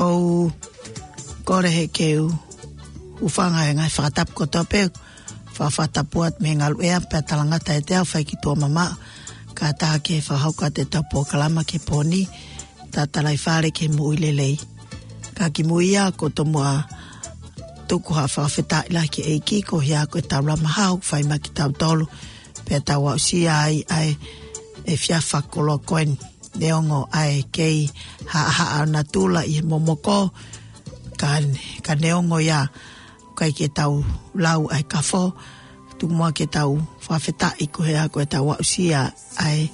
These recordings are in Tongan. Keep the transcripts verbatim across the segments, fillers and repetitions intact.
ʻOku ou kole he ke u hūfanga he ngaahi fakatapu kotoa pē, fakafakatapu atu mei he ngaluʻea pea talangata ʻiate au fai ki tuʻa mamaʻo. Kātaki fakahoko atu ʻetau polokalama ki he pō ni, Tatalaifale ki he Moʻui Lelei. Ka kimuʻa ʻoku ou tomuʻa tuku ha fakafetaʻi lahi ki he ʻEiki koeʻuhi ko ʻetau lama hau fai mai kiate kitautolu, pea tau aʻusia ai ʻa e efiafi fakakoloa ko eni. Neongo ʻa e kei haʻahaʻa ʻo natula ʻi he momoko, ka, ka neongo ia, ʻoku ʻikai ke tau lau ʻa e kafo, tuku muʻa ke tau fakafetaʻi koeʻuhi ko ʻetau aʻusia ʻa e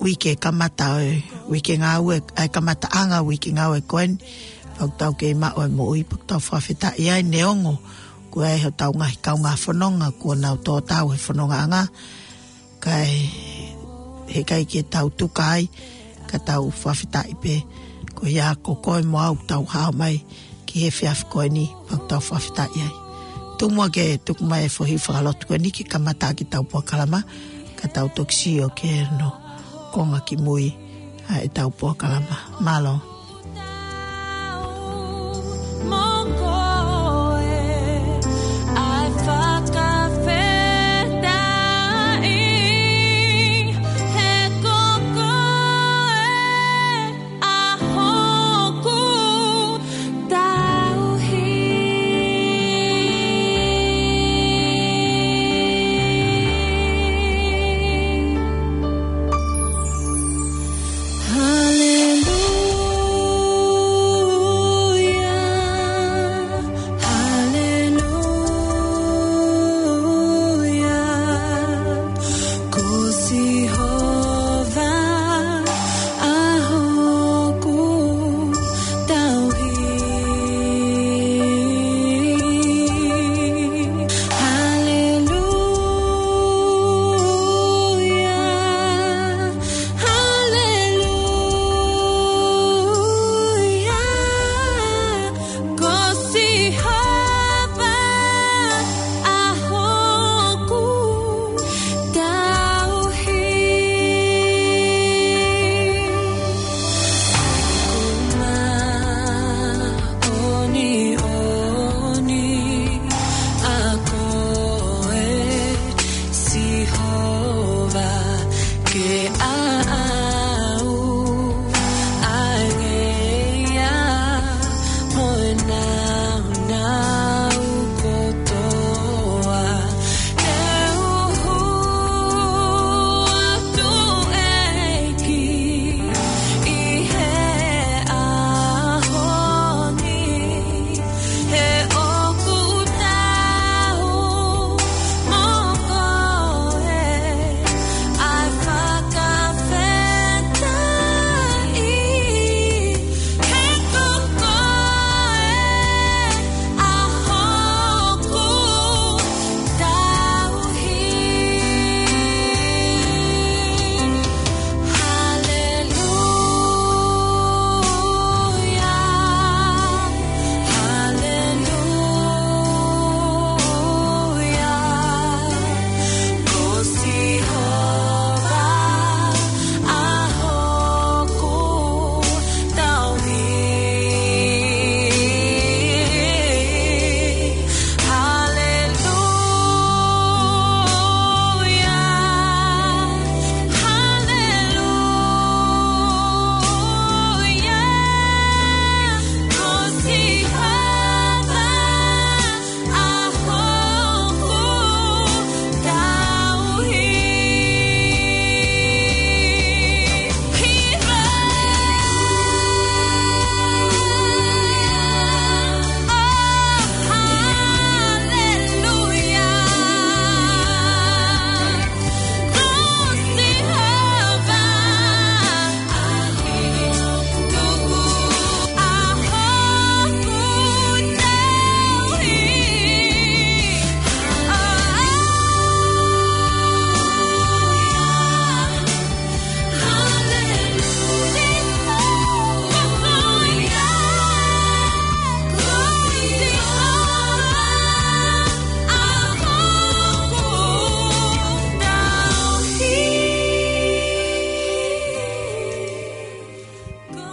uike kamata ʻo e uike ngāue, ʻa e kamataʻanga uike ngāue ko eni, pea ʻoku tau kei maʻu ʻa e moʻui, pea ʻoku tau fakafetaʻi ai neongo ʻoku ʻi ai hotau ngaahi kaungā fononga kuo nau tō tau he fonongaʻanga, ka ʻe, heʻikai ke tau tuka ai, ka tau fakafetaʻi pē, koeʻuhi ko koe mo au tau hao mai ki he efiafi ko eni, pea ʻoku tau fakafetaʻi ai. Tuku muʻa ke tuku mai e foʻi fakalotu ko eni ke kamata ʻaki ʻetau polokalama, ka tau toki sio ki hono konga kimui ʻa ʻetau polokalama. Mālō.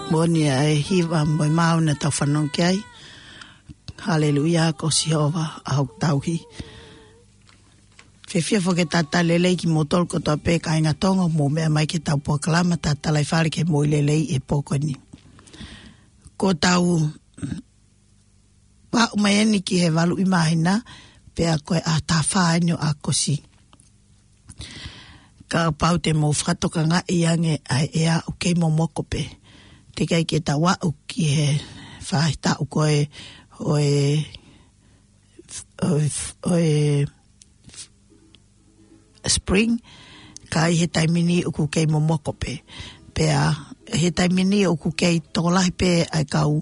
Moʻoni ʻa e hiva mo e maau naʻa tau fanongo ki ai. Haleluia, ko Sihova ʻa hoku tauhi. Fiefia foki ke talitali lelei kimoutolu kotoa pē kāinga Tonga, mou meʻa mai ki heʻetau polokalama Tatalaifale ki he Moʻui Lelei he pō ko eni. Ko ʻetau aʻu mai eni ki he valu ʻi māhina, pea ko e ʻaho taha fā eni ʻo ʻAokosi. Kapau te mou fakatokangaʻi ange ʻa e ʻea ʻoku kei momoko pē. Teʻeki ai ke tau aʻu ki he faʻahitaʻu ko ē ʻo e, ʻo e, ʻo e spring, ka ʻi he taimi ni ʻoku kei momoko pē. Pea ʻi he taimi ni ʻoku kei tokolahi pē ʻa e kau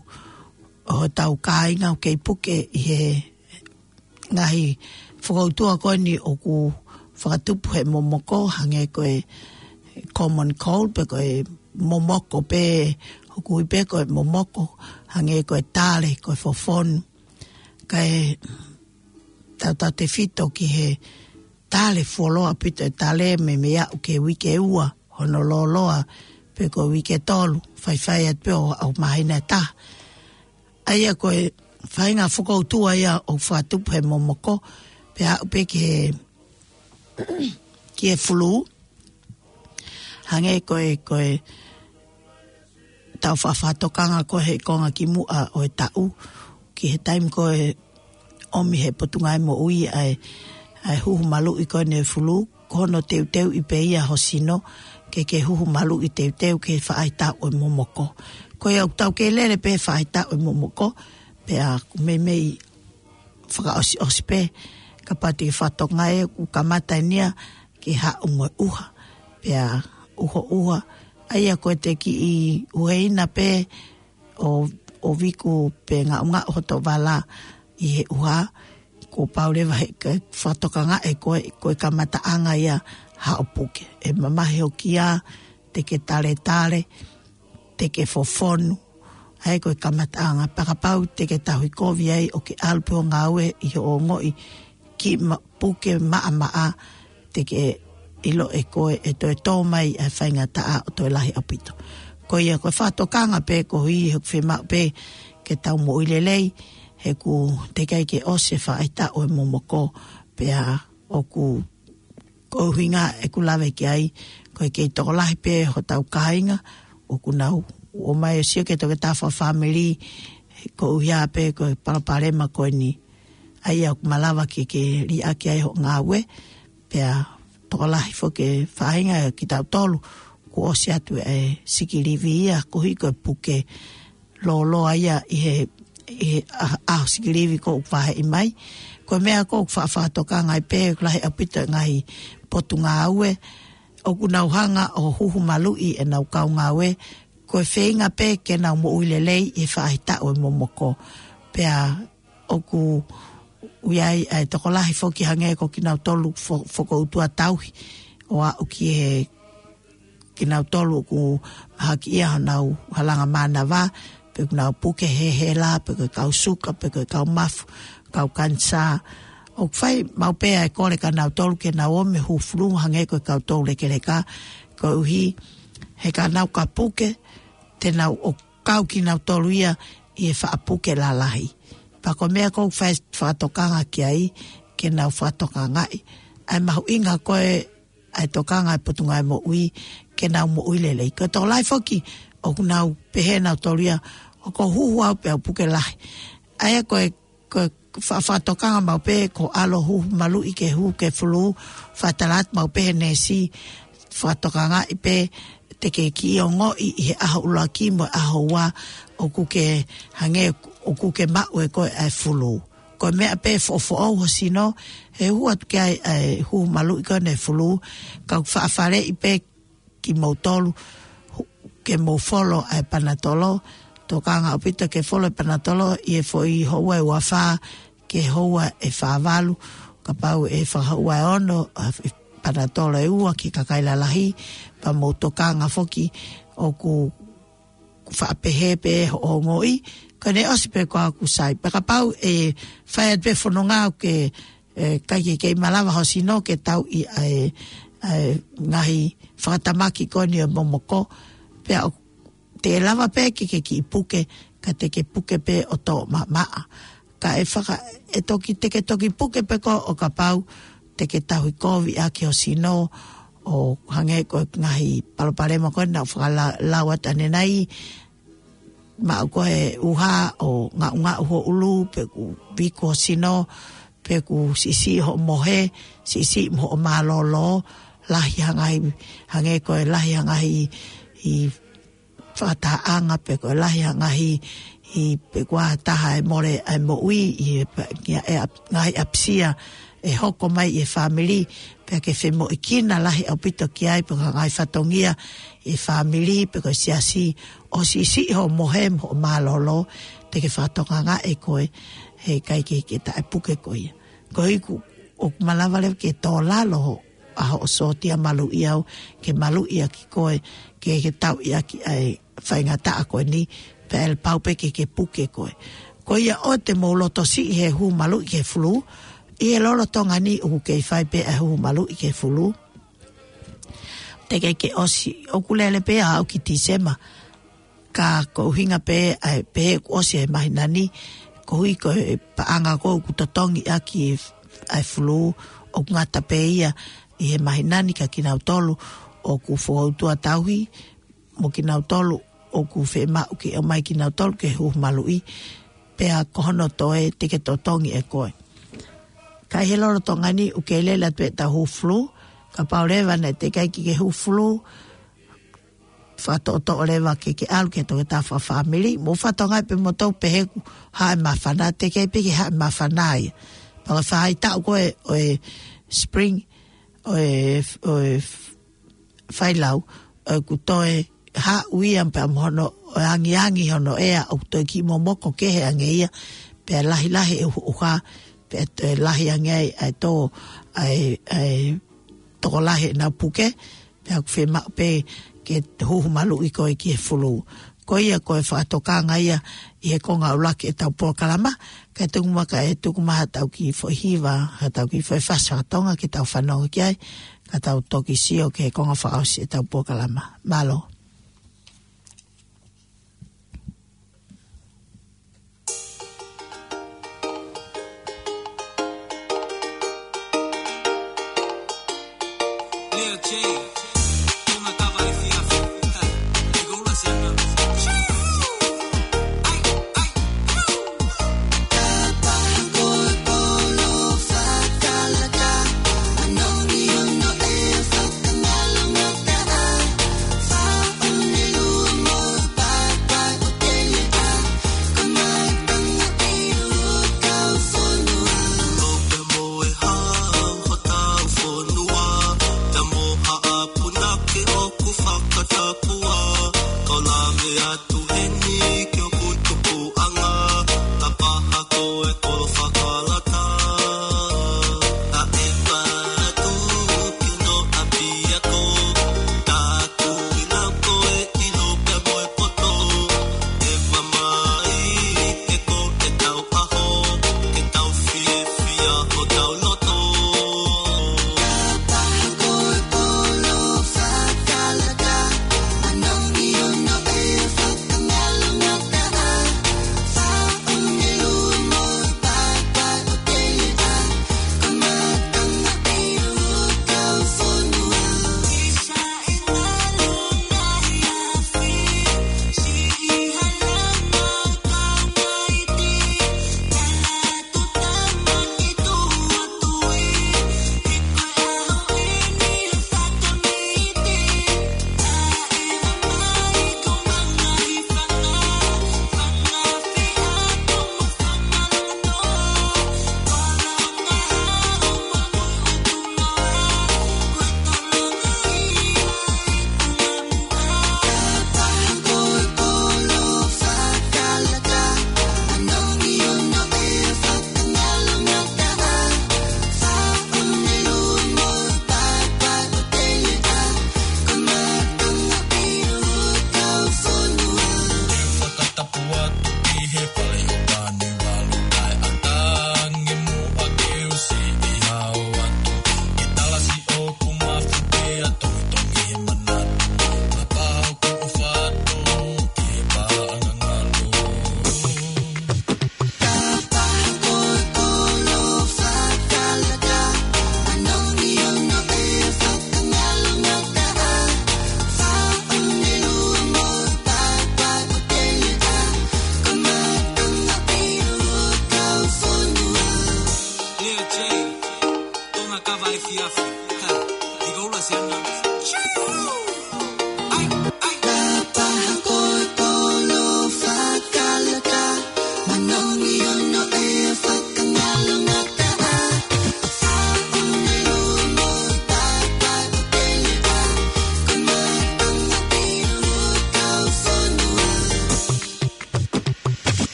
ʻo hotau kāinga ʻoku kei puke ʻi he ngaahi fokoutua ko eni ʻoku fakatupu he momoko, hangē ko e common cold, pe ko e momoko pē, ʻoku ui pē ko e momoko, hangē ko e tale, ko e fofonu. Kae tautautefito ki he tale, fuoloa ʻaupito e tale, meimei aʻu ki he uike ua hono lōloa, pe ko e uike tolu, faifai atu pē ʻo, ʻo māhina ʻe taha. ʻA ia ko e faʻahinga fokoutua ia ʻoku fakatupu he momoko, pea aʻu pē ki he, ki he fulū. Hangē ko e, ko ʻetau faʻa fakatokanga ko ē he konga kimuʻa ʻo e taʻu, ki he taimi ko ē ʻomi he Potungāue Moʻui ʻa e, ʻa e huhu maluʻi ko eni ʻo e fulū, ko hono teuteuʻi pē ia ho sino, ke ke huhu maluʻi teuteu ki he faʻahitaʻu ʻo e momoko. Ko ia ʻoku tau kei lele pē he faʻahitaʻu ʻo e momoko, pea ʻoku meimei fakaʻosiʻosi pē, kapau te ke fakatokangaʻi ʻoku kamata eni ia ke haʻu mo e ʻuha, pea ʻuhoʻuha. ʻA ia ko e te kiʻi ʻuheina pē ʻo, ʻo viku pe ngaʻungaʻu hoto vala ʻi he ʻuha, kuo pau leva he ke fakatokangaʻi ko e, ko e kamataʻanga ia haʻo puke. ʻE mamahi hoki ia, te ke taletale, te ke fofonu, ʻa ia ko e kamataʻanga. Pea kapau te ke tauhi kovi ai ʻo ke ʻalu pē ʻo ngāue ʻi hoʻo ongoʻi kiʻi ma-, puke maʻamaʻa, te ke ʻilo ʻe koe ʻe toe tō mai ʻa e faingataʻa ʻo toe lahi ʻaupito. Ko ia ko e fakatokanga pē ko ia ʻoku fiemaʻu pē ke tau moʻui lelei, he ʻoku teʻeki ai ke ʻosi e faʻahitaʻu ʻo e momoko, pea ʻoku, ko e ʻuhinga ʻeku lave ki ai, ko e kei tokolahi pē hotau kāinga ʻoku nau ō mai ʻo sio ki he toketā fakafāmili, koeʻuhi pē ko e palopalema ko eni. ʻA ia ʻoku malava ke ke liʻaki ai hoʻo ngāue, pea tokolahi foki e faʻahinga ʻo kitautolu, kuo ʻosi atu e sikilivi ia, koeʻuhi ko e puke lōloa ia ʻi he, ʻi he ʻa-, ʻaho sikilivi ʻoku vaheʻi mai. Ko e meʻa ʻoku ou faʻa fakatokanga ai pē, ʻoku lahi ʻaupito e ngaahi potungāue ʻoku nau hanga ʻo huhu maluʻi ʻenau kau ngāue, ko e feinga pē ke nau moʻui lelei ʻi he faʻahitaʻu ʻo e momoko. Pea ʻoku ʻi ai ʻa e tokolahi foki hangē ko kinautolu fo-, fokoutua tauhi, ʻo aʻu ki he kinautolu ʻoku mahaki ia honau halanga mānava, pe ʻoku nau puke he hela, pe ko e kau suka, pe ko e kau mafu, kau kanisā. ʻOku fai maʻu pē ʻa e kole kia nautolu ke nau ō mei he huhu fulū hangē ko e kau toulekeleka, koeʻuhi he ka nau ka puke, te nau ō kau kinautolu ia ʻi he faʻa puke lalahi. Pea ko e meʻa ʻoku ou fai fakatokanga ki ai, ke nau fakatokangaʻi ʻa e mahuʻinga ko ē ʻa e tokanga ʻa e Potungāue Moʻui, ke nau moʻui lelei. Ko e tokolahi foki ʻoku nau pehē nautolu ia, ʻoku ou huhu au pea u puke lahi. ʻA ia ko e, ko e fa-, fakatokanga maʻu pē, ko e ʻalu huhu maluʻi ke huhu ki he fulū, fakatala atu maʻu pē he neesi, fakatokangaʻi pē, te ke kiʻi ongoʻi ʻi he ʻaho ʻuluaki mo e ʻaho ua, ʻoku ke hangē, ʻoku ke maʻu ʻe koe ʻa e fulū. Ko e meʻa pē foʻofoʻou ho sino, he huhu atu ki ai ʻa e huhu maluʻi ko eni ʻo e fulū, ka ʻoku faʻa faleʻi pē kimoutolu, hu-, ke mou folo ʻa e panatolo, tokanga ʻaupito ke folo e panatolo, ʻi he foʻi houa ʻe ua fā, ki he houa ʻe fā valu, kapau ʻe fakahoua ʻe ono, ʻa e panatolo ʻe ua ki he kakai lalahi, pea mou tokanga foki ʻoku faʻa pehē pē hoʻo ongoʻi, ko ʻene ʻosi pē ko ʻeku sai. Pea kapau ʻe fai atu pē fononga ʻoku ke, ʻe, ʻikai ke kei malava ho sino ke tauʻi ʻa e, ʻa e ngaahi fakatamaki ko eni ʻo e momoko, pea ʻo te lava pē ke ke kiʻi puke, ka te ke puke pē ʻo tō maʻamaʻa. Ka ʻe faka-, ʻe toki, te ke toki puke pē koe ʻo kapau te ke tauhi kovi ʻaki ho sino, ʻo hangē ko e ngaahi palopalema ko ē naʻa ku fakalau atu ʻanenai, maʻu ko e ʻuha ʻo ngaʻungaʻu ho ʻulu, pe ʻoku viku ho sino, pe ʻoku siʻisiʻi hoʻo mohe, siʻisiʻi mo hoʻo mālōlō, lahi ha ngaahi, hangē ko e lahi ha ngaahi ʻi fakatahaʻanga, pe ko e lahi ha ngaahi ʻi pe ko ha taha ʻe mole ʻa e moʻui ʻi he pa-, ʻi he ʻa-, ngaahi ʻapisia ʻe hoko mai ʻi he fāmili, pea ke femoʻuekina lahi ʻaupito ki ai, pe ko ha ngaahi fatongia ʻi he fāmili, pe ko e siasi, ʻo siʻisiʻi hoʻo mohe mo hoʻo mālōlō, te ke fakatokangaʻi koe, heʻikai ke, ke taʻepuke koe ia. Koeʻuhi ʻoku malava leva ke tō lalo ho, ʻa hoʻo sōtia maluʻi au, ke maluʻi ʻaki koe, ke, ke tauʻi ʻaki ʻa e faingataʻa ko eni, pea ʻe pau pē ke, ke puke koe. Ko ia ʻoua te mou loto siʻi he huhu maluʻi ki he fulū, ʻi he lolotonga ni ʻoku kei fai pē ʻa e huhu maluʻi ki he fulū. Teʻeki ke ʻosi, ʻoku lele pē ʻa au ki Tīsema, ka ko e ʻuhinga pē, ʻa e pehē kuo ʻosi e māhina ni, koeʻuhi ko e paʻanga ko ē ʻoku totongi ʻaki ʻa e fulū, ʻoku ngata pē ia ʻi he māhina ni kia kinautolu ʻoku fokoutua tauhi, mo kinautolu ʻoku fiemaʻu ke ʻomai kinautolu ki he huhu maluʻi, pea ko hono toe te ke totongi ʻe koe. Ka ʻi he lolotonga ni ʻoku kei lele atu ʻetau huhu fulū, kapau leva naʻe teʻeki ai ke ke huhu fulū, fakatoʻotoʻo leva ke ke ʻalu ki he toketā fakafāmili, mou fakatokangaʻi pē moutolu pehē ʻoku haʻu e māfana, teʻeki pē ke haʻu e māfana ia. Pea ko e faʻahitaʻu ko ē ʻo e spring, ʻo e, ʻo e failau, ʻoku toe haʻu ia pea mo hono, ʻo e angiangi hono ʻea, ʻoku toe kiʻi momoko kehe ange ia, pea lahilahi e ʻuha, pea toe lahi ange ai ʻa e tō, ʻa e, ʻa e tokolahi ʻenau puke, pea ʻoku fiemaʻu pē ke huhu maluʻi koe ki he fulū. Ko ia ko e fakatokanga ia ʻi he konga ʻuluaki ʻetau polokalama, ka tuku mai ka ʻe tuku mai haʻatau kiʻi foʻi hiva, haʻatau kiʻi foʻi fasi faka-Tonga ke tau fanongo ki ai, ka tau toki sio ki he konga fakaʻosi ʻetau polokalama. Mālō.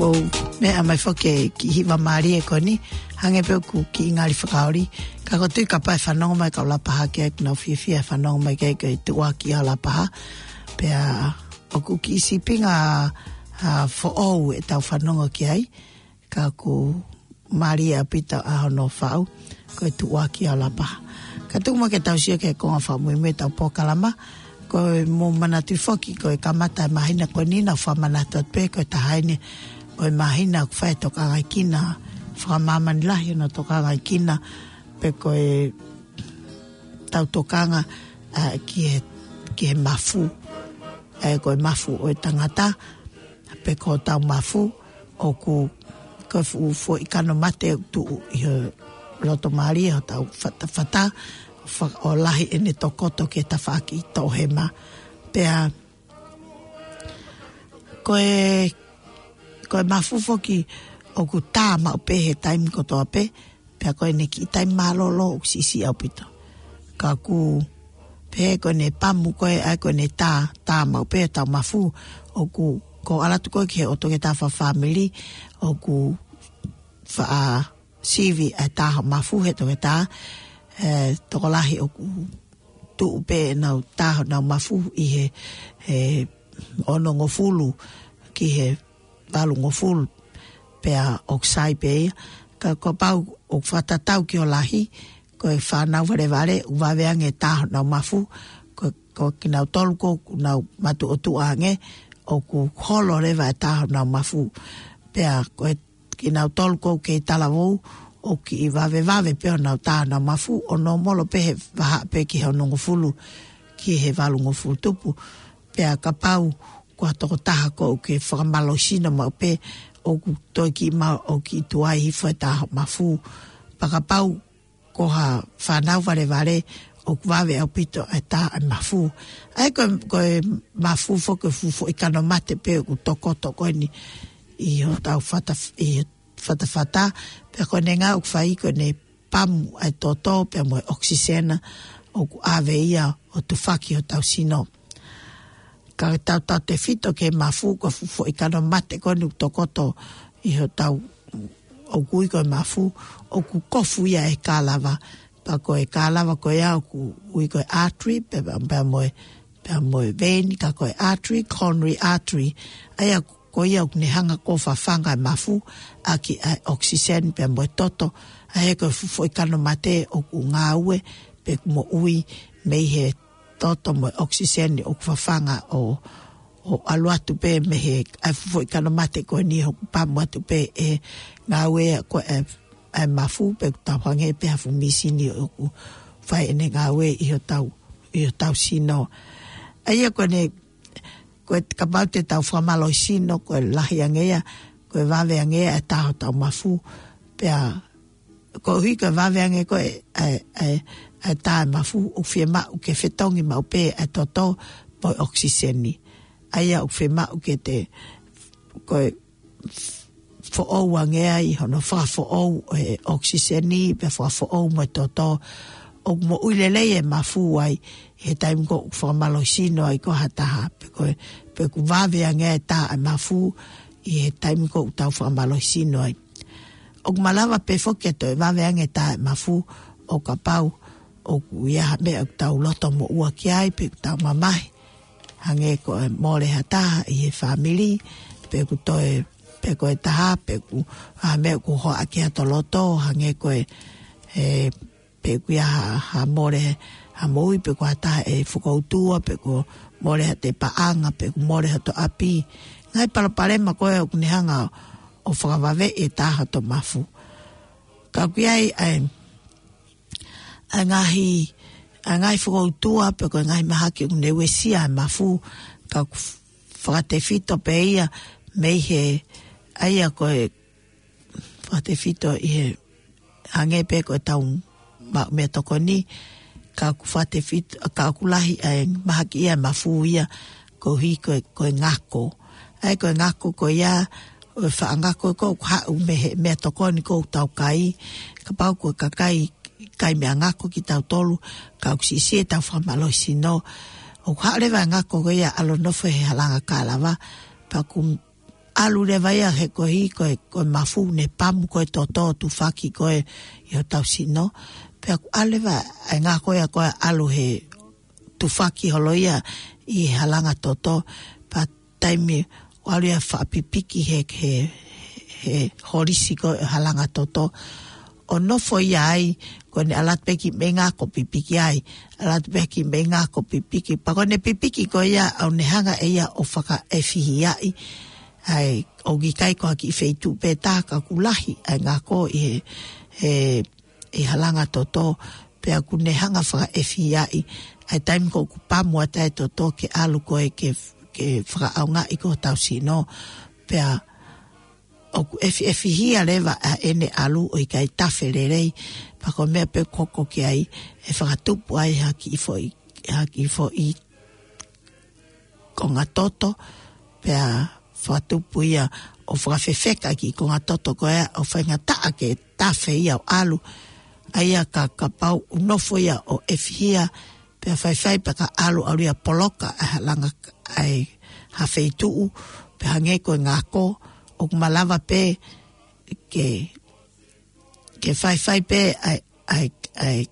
ʻOku meʻa mai foki e kiʻi hiva mālie ko eni, hangē pē ʻoku kiʻi ngali fakaoli, ka ʻoku ou tui kapau ʻe fanongo mai kau Lapaha ki ai, ʻoku nau fiefia ʻe fanongo mai ki ai, ko e Tuʻuaki ʻa Lapaha. Pea ʻoku kiʻi sīpinga, ʻa, foʻou ʻetau fanongo ki ai, ka ʻoku mālie ʻaupito ʻa hono faʻu, ko e Tuʻuaki ʻa Lapaha. Kae tuku muʻa ke tau sio ki he konga fakamuimui ʻetau polokalama, ko e mou manatuʻi foki, ko e kamata e māhina ko eni naʻa ku fakamanatu atu pē, ko e taha eni ʻo e māhina ʻoku fai e tokangaʻi kina, fakamāmani lahi hono tokangaʻi kina, pe ko e tau tokanga, ʻa, ki he, ki he mafu, ʻa, ko e mafu ʻo e tangata, pe ko hotau mafu, ʻoku, ko e fuʻu foʻi kano mate ʻoku tuʻu ʻi he loto mālie ʻo hotau fatafata, fa-, ʻo lahi ʻene tokoto ki he tafaʻaki toʻohema. Pea, ko e, ko e mafu foki ʻoku tā maʻu pē he taimi kotoa pē, pea ko ʻene kiʻi taimi mālōlō ʻoku siʻisiʻi ʻaupito. Ka ʻoku pehē ko ʻene pamu ko ē, ʻa ia ko ʻene tā, tā maʻu pē hotau mafu, ʻoku, ʻoku ou ʻalu atu ko ē ki he ʻotu ke tā fakafāmili, ʻoku faʻa sivi ʻa e tā hoʻo mafu he toketā, ē, tokolahi ʻoku tuʻu pē ʻenau tā honau mafu ʻi he, he onongofulu ki he valungofulu, pea ʻoku sai pē ia. Ka kuo pau ʻoku fakatatau ki ho lahi, ko e fānau valevale, ʻoku vave ange e tā honau mafu, ko, ko kinautolu ʻoku nau matuʻotuʻa ange, ʻoku holo leva e tā honau mafu. Pea ko e kinautolu ʻoku kei talavou, ʻoku kiʻi vavevave pē honau tā honau mafu, ʻo nōmolo pē he vahaʻa pē ki he onongofulu, ki he valungofulu tupu. Pea kapau ko ha tokotaha ʻoku ke fakamālohisino maʻu pē, ʻoku toe kiʻi maʻu, ʻoku kiʻi tuai hifo e tā hoʻo mafu. Pea kapau ko ha fānau valevale, ʻoku vave ʻaupito e tā e mafu. ʻA ia ko e, ko e mafu foki ko e fuʻu foʻi kano mate pē ʻoku tokoto ko eni ʻi hotau fata, ʻi he fatafata, pea ko ʻene ngāue ʻoku fai ko ʻene pamu ʻa e toto, pea mo e ʻokisisena, ʻoku ʻave ia ʻo tufaki hotau sino. Ka tau tautefito ki he mafu ko e fuʻu foʻi kano mate ko eni ʻoku tokoto ʻi hotau, ʻoku ui ko e mafu, ʻoku kofu ia ʻe he kālava. Pea ko e kālava ko ia ʻoku ui ko e artery, pea, pea mo e, pea mo e vein, ka ko e artery, coronary artery. ʻA ia ko ia ʻoku ne hanga ʻo fafanga e mafu, ʻaki ʻa e ʻokisiseni pea mo e toto, ʻa ia ko e fuʻu foʻi kano mate ʻoku ngāue, pe ʻoku moʻui mei he toto mo e ʻokisiseni ʻoku fafanga ʻo, ʻo ʻalu atu pē mei he, ʻa e fuʻu foʻi kano mate ko eni ʻoku pamu atu pē ʻe he ngāue ko ē ʻa e, ʻa e mafu pe ʻoku tau hangē pē ha fuʻu mīsini ʻoku fai ʻene ngāue ʻi hotau, ʻi hotau sino. ʻA ia ko ʻene, ko e kapau te tau fakamālohisino, ko e lahi ange ia, ko e vave ange ia e tā hotau mafu, pea koeʻuhi ko e vave ange ko ē ʻa e, ʻa e, ʻa e tā e mafu, ʻoku fiemaʻu ke fetongi maʻu pē ʻa e toto mo e ʻokisiseni. ʻA ia ʻoku fiemaʻu ke te, ko e foʻou ange ai hono fakafoʻou e ʻokisiseni, pea fakafoʻou mo e toto, ʻoku moʻui lelei e mafu ai, he taimi ko ē ʻoku fakamālohisino ai ko ha taha, pe ko e, pe ʻoku vave ange e tā e mafu, ʻi he taimi ko ē ʻoku tau fakamālohisino ai. ʻOku malava pē foki ke toe vave ange e tā e mafu, ʻo kapau ʻoku ʻi ai ha meʻa ʻoku tau loto moʻua ki ai, pe ʻoku tau mamahi. Hangē ko e mole ha taha ʻi he fāmili, pe ʻoku toe, pe ko e taha, pe ʻoku ʻi ai ha meʻa ʻoku hohaʻa ki ai hoto loto, hangē ko e, e, pe ʻoku ʻi ai ha, ha mole, ha moʻui, pe ko ha taha ʻe fokoutua, pe ʻoku mole haʻate paʻanga, pe ʻoku mole hoto ʻapi. Ngaahi palopalema ko ē ʻoku ne hanga ʻo fakavaveʻi e tā hoto mafu. Ka ʻoku ʻi ai ʻa e, ʻa e ngaahi, ʻa e ngaahi fokoutua, pe ko e ngaahi mahaki ʻoku ne uesia e mafu, ka ʻoku fakatefito pē ia mei he, ʻa ia ko e fakatefito ʻi he, hangē pē ko e tau maʻu meʻatokoni, ka ʻoku fakatefito, ka ʻoku lahi ʻa e mahaki ia e mafu ia, koeʻuhi ko e, ko e ngako. ʻA ia ko e ngako ko ia, ʻo e faʻa ngako ko ē ʻoku haʻu mei he meʻatokoni ko ē ʻoku tau kai, kapau ko e kakai kai meʻangako kitautolu, ka ʻoku siʻisiʻi ʻetau fakamālohisino. ʻOku haʻu leva e ngako ko ia ʻo ʻalu ʻo nofo he halanga kālava, pea ʻoku ʻalu leva ia he koeʻuhi ko e, ko e mafu ne pamu ko e toto tufaki ko e ʻi hotau sino. Pea ʻoku ʻalu leva ʻa e ngako ia ko e ʻalu he tufaki holo ia ʻi he halanga toto. Pea taimi ʻoku ʻalu ia fakapipiki he, he, he holisi ko e halanga toto. ʻO nofo ia ai, ko ʻene ʻalu atu pē ki mei ngako pipiki ai, ʻalu atu pē ki mei ngako pipiki. Pea ko ʻene pipiki ko ia ʻoku ne hanga ʻe ia ʻo fakaʻefihiaʻi. ʻAi, ʻoku ʻikai ko ha kiʻi feituʻu pē tā ka ʻoku lahi ʻa e ngako ʻi he, he, he halanga toto, pea ʻoku ne hanga fakaʻefihiaʻi. ʻAi taimi ko ē ʻoku pamu atu ʻa e toto ke ʻalu ko e ke, ke fakaʻaongaʻi ko hotau sino. Pea ʻoku ʻefiʻefihia leva ʻa ʻene ʻalu ʻo ʻikai tafe lelei. Pea ko e meʻa pē ʻoku hoko ki ai, ʻe fakatupu ai ha kiʻi foʻi, ha kiʻi foʻi konga toto, pea fakatupu ia ʻo fakafefeka ki he konga toto ko ia ʻo faingataʻa ke tafe ia ʻo ʻalu. ʻA ia ka, kapau ʻoku nofo ia ʻo ʻefihia, pea faifai pea ka ʻalu ʻalu ia poloka ʻa e halanga ʻa e ha feituʻu, pea hangē ko e ngako, ʻoku malava pē ke, ke faifai pē ʻa e, ʻa e, ʻa e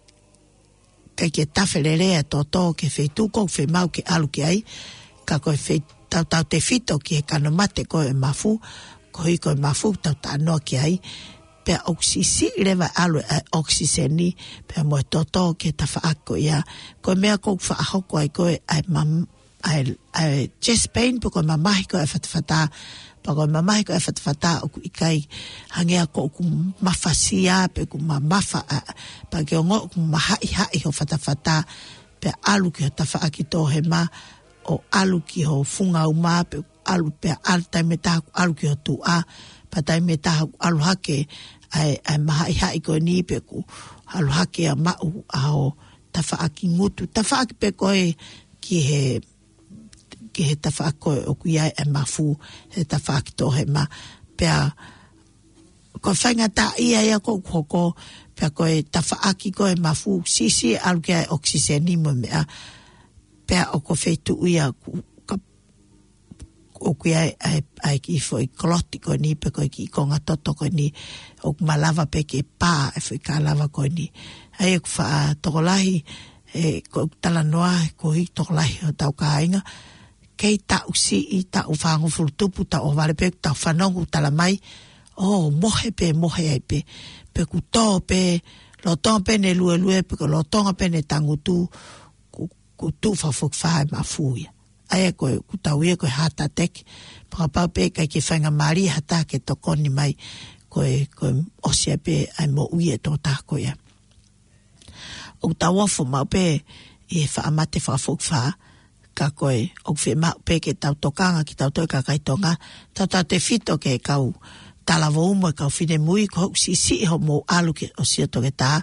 ʻikai ke tafe lelei ʻa e toto ki he feituʻu ʻoku fiemaʻu ke ʻalu ki ai, ka ko e fei-, tautautefito ki he kano mate ko e mafu, koeʻuhi ko e mafu ʻoku tau talanoa ki ai, pea ʻoku siʻisiʻi leva ʻalu ʻa e ʻokisiseni, pea mo e toto ki he tafaʻaki ko ia. Ko e meʻa ʻoku fakahoko ai ko e ʻa e mam-, ʻa e, ʻa e chest pain, pe ko e mamahi ko e fatafata, pea ko e mamahi ko e fatafata ʻoku ʻikai hangē ia ko ʻoku mafasia, pe ʻoku mamafa ʻa, pea ke ongoʻi ʻoku mahaʻihaʻi ho fatafata, pea ʻalu ki ho tafaʻaki toʻohema, ʻo ʻalu ki ho funga uma, pe ʻalu pea ʻalu taimi ʻe taha ʻoku ʻalu ki ho tuʻa, pea taimi ʻe taha ʻoku ʻalu hake ʻa e, ʻa e mahaʻihaʻi ko eni pe ʻoku ʻalu hake ʻa maʻu ʻa ho tafaʻaki ngutu, tafaʻaki pē ko e ki he, ki he tafaʻaki ko ē ʻoku ʻi ai ʻa e mafu, he tafaʻaki toʻohema. Pea ko e faingataʻaʻia ia ʻoku hoko, pea ko e tafaʻaki ko e mafu, siʻisiʻi ʻalu ki ai ʻokisiseni mo e meʻa, pea ʻoku feituʻu ia ʻoku ka-, ʻoku ʻi ai ʻa e, ʻa e kiʻi foʻi koloti ko eni pe ko e kiʻi konga toto ko eni, ʻoku malava pē ke pā ʻa e foʻi kalava ko eni. ʻA ia ʻoku faʻa tokolahi, ʻe, ʻoku talanoa, koeʻuhi tokolahi hotau kāinga, kei taʻu siʻi, taʻu fāngofulu tupu, taʻu ʻohovale pē, tau fanongo talamai, ʻo mohe pē, mohe ai pē, pe ʻoku tō pē, lolotonga pē ʻene luelue, pe ko e lolotonga pē ʻene tangutu, ʻoku, ʻoku tuʻu fakafokifā ʻa e mafu ia. ʻA ia ko e, ʻoku tau ui ia ko e heart attack, pea kapau pē ʻikai ke faingamālie ha taha ke tokoni mai, ko e, ko e ʻosi ai pē ʻa e moʻui ʻa e tokotaha ko ia. ʻOku tau ofo maʻu pē ʻi he faʻa mate fakafokifā, ka ko e, ʻoku fiemaʻu pē ke tau tokanga kitautolu kakai Tonga, tautautefito ki he kau talavou mo e kau finemui, ko hoʻo siʻisiʻi hoʻomou ʻalu ki he ʻosi ʻo e toketā,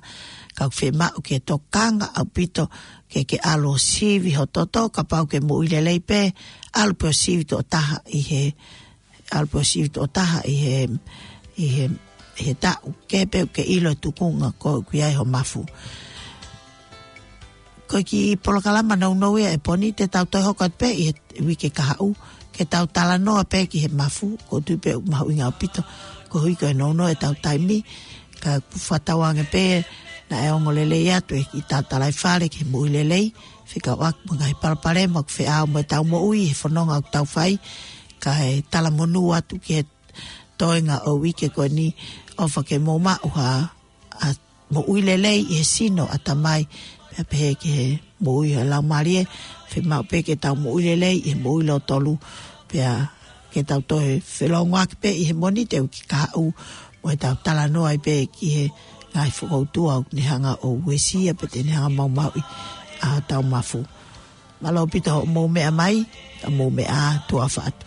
ka ʻoku fiemaʻu ke tokanga ʻaupito ke ke ʻalu ʻo sivi ho toto, kapau ʻoku ke moʻui lelei pē, ʻalu pē ʻo sivi tokotaha ʻi he, ʻalu pē ʻo sivi tokotaha ʻi he, ʻi he, ʻi he taʻu, ke pē ʻoku ke ʻilo e tuʻunga ko ē ʻoku ʻi ai ho mafu. Ko e kiʻi polokalama nounou ia ʻe Poni, te tau toe hoko atu pē ʻi he uike kahaʻu, ke tau talanoa pē ki he mafu, ʻoku ou tui pē ʻoku mahuʻinga ʻaupito, koeʻuhi ko e nounou ʻetau taimi, ka ʻoku fakatauange pē naʻe ongo lelei atu e kiʻi tau talaifale ki he moʻui lelei, fekauʻaki mo e ngaahi palopalema ʻoku feʻao mo ʻetau moʻui he fononga ʻoku tau fai, kae talamonū atu ki he toenga ʻo e uike ko eni, ʻofa ke mou maʻu ha, ʻa, moʻui lelei ʻi he sino, ʻatamai, pea pehē ki he moʻui ʻa e laumālie, fiemaʻu pē ke tau moʻui lelei ʻi he moʻui lōtolu, pea ke tau toe felōngoaki pē ʻi he Mōnite uike kahaʻu, mo ʻetau talanoa ai pē ki he ngaahi fokoutua ʻoku ne hanga ʻo uesia pe te ne hanga ʻo maumauʻi ʻa hotau mafu. Mālō ʻaupito hoʻomou meʻa mai, ka mou meʻa ā, tuʻa ʻofa atu.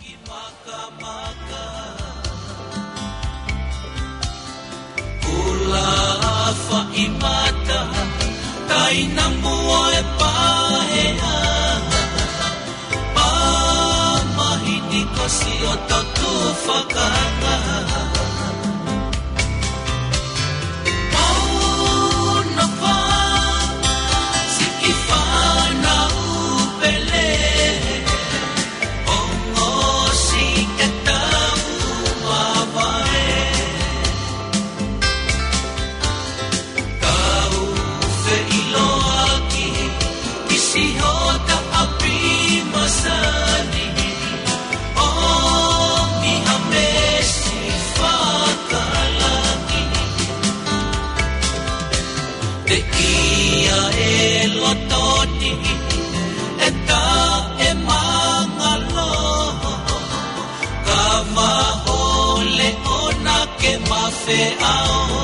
Kula faʻi mata, taina mua e pāhea, pā mahini kosi ʻo totu fakanga. Mauna pā, siki fānau pele, ongosi ke tau Ti hota api masani, o mi ha mesi fakalangi. Te ia e lotoni, e ta e mangalo. Ka mahole ona ke mafeao.